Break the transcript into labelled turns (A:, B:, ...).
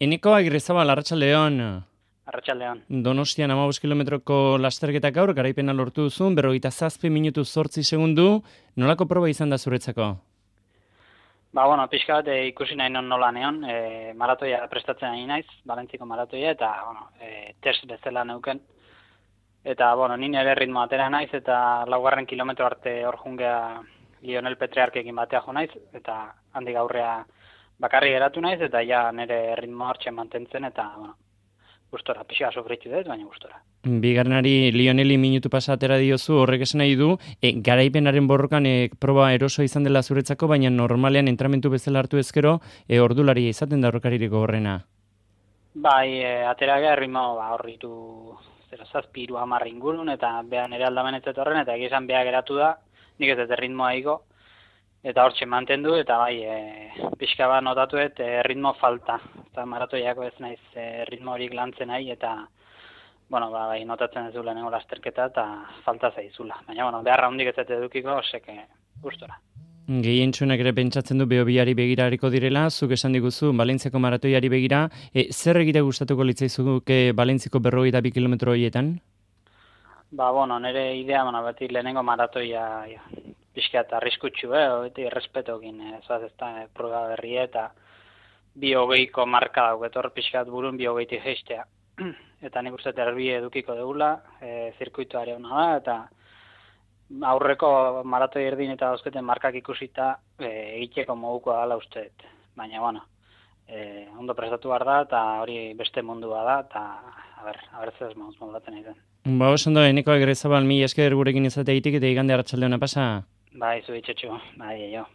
A: Eneko Agirrezabal, Arratsaldeon.
B: Arratsaldeon.
A: Donostian 15 kilometroko lasterketa gaur, garaipena lortu duzun, 57 minutu 8 segundu. Nolako proba izan da zuretzako?
B: Bueno, pixka bat ikusi nahi nola neon, maratoia prestatzen ari naiz, Valentziko maratoia, eta, test bezala neuken. Eta, ni nire ritmo atera naiz, eta laugarren kilometro arte hor jungea Lionel Petriarkekin batea jo naiz, eta handik aurrea bakarri geratu naiz, eta ja nire ritmo hartzen mantentzen, eta, gustora, pixka sofritu dut, baina gustora.
A: Bigarrenari Lioneli minutu pasa atera diozu, horrek esan nahi du, garaipenaren borrokan proba eroso izan dela zuretzako, baina normalean entramentu bezala hartu ezkero, ordularia izaten da horrekaririk horrena.
B: Bai, atera gara ritmo horritu 0,7-10 ingurun, eta beha nire aldamen ez horren, eta egizan beha geratu da, nik ez dut ritmoa igo, eta hortxe mantendu, eta bai, pixka bat notatuet ritmo falta. Eta maratoiako ez naiz ritmo horik lantzen nahi, eta bai, notatzen ez du lehenengo lasterketa, eta falta zaizula. Baina, beharra hundik ez dut edukiko, oseke gustora.
A: Gehientsunak ere pentsatzen du Beobiari begirariko direla, zuk esan diguzu Valentziako maratoiari begira, zer egira gustatuko litzaizuke Valentziko 52 kilometro horietan?
B: Nire idea, beti lehenengo maratoia pixka eta arriskutsu, beti errespetokin, ez da proba berria, eta 2:20ko marka dauk, hor pixkat burun 2:20 geistea. Eta nik uste erbi edukiko dugula, zirkuituari hona da, eta aurreko maratoi erdin eta dauzketen markak ikusita egiteko modukoa dela uste. Baina, ondo prestatu behar da, eta hori beste mundua da, eta a ber zer modulatzen egiten.
A: Ondo, Eneko Agirrezabal, mila esker gurekin izateaitik eta igande arratsaldeona pasa.
B: Bai, zu itxetxo, bai, jo.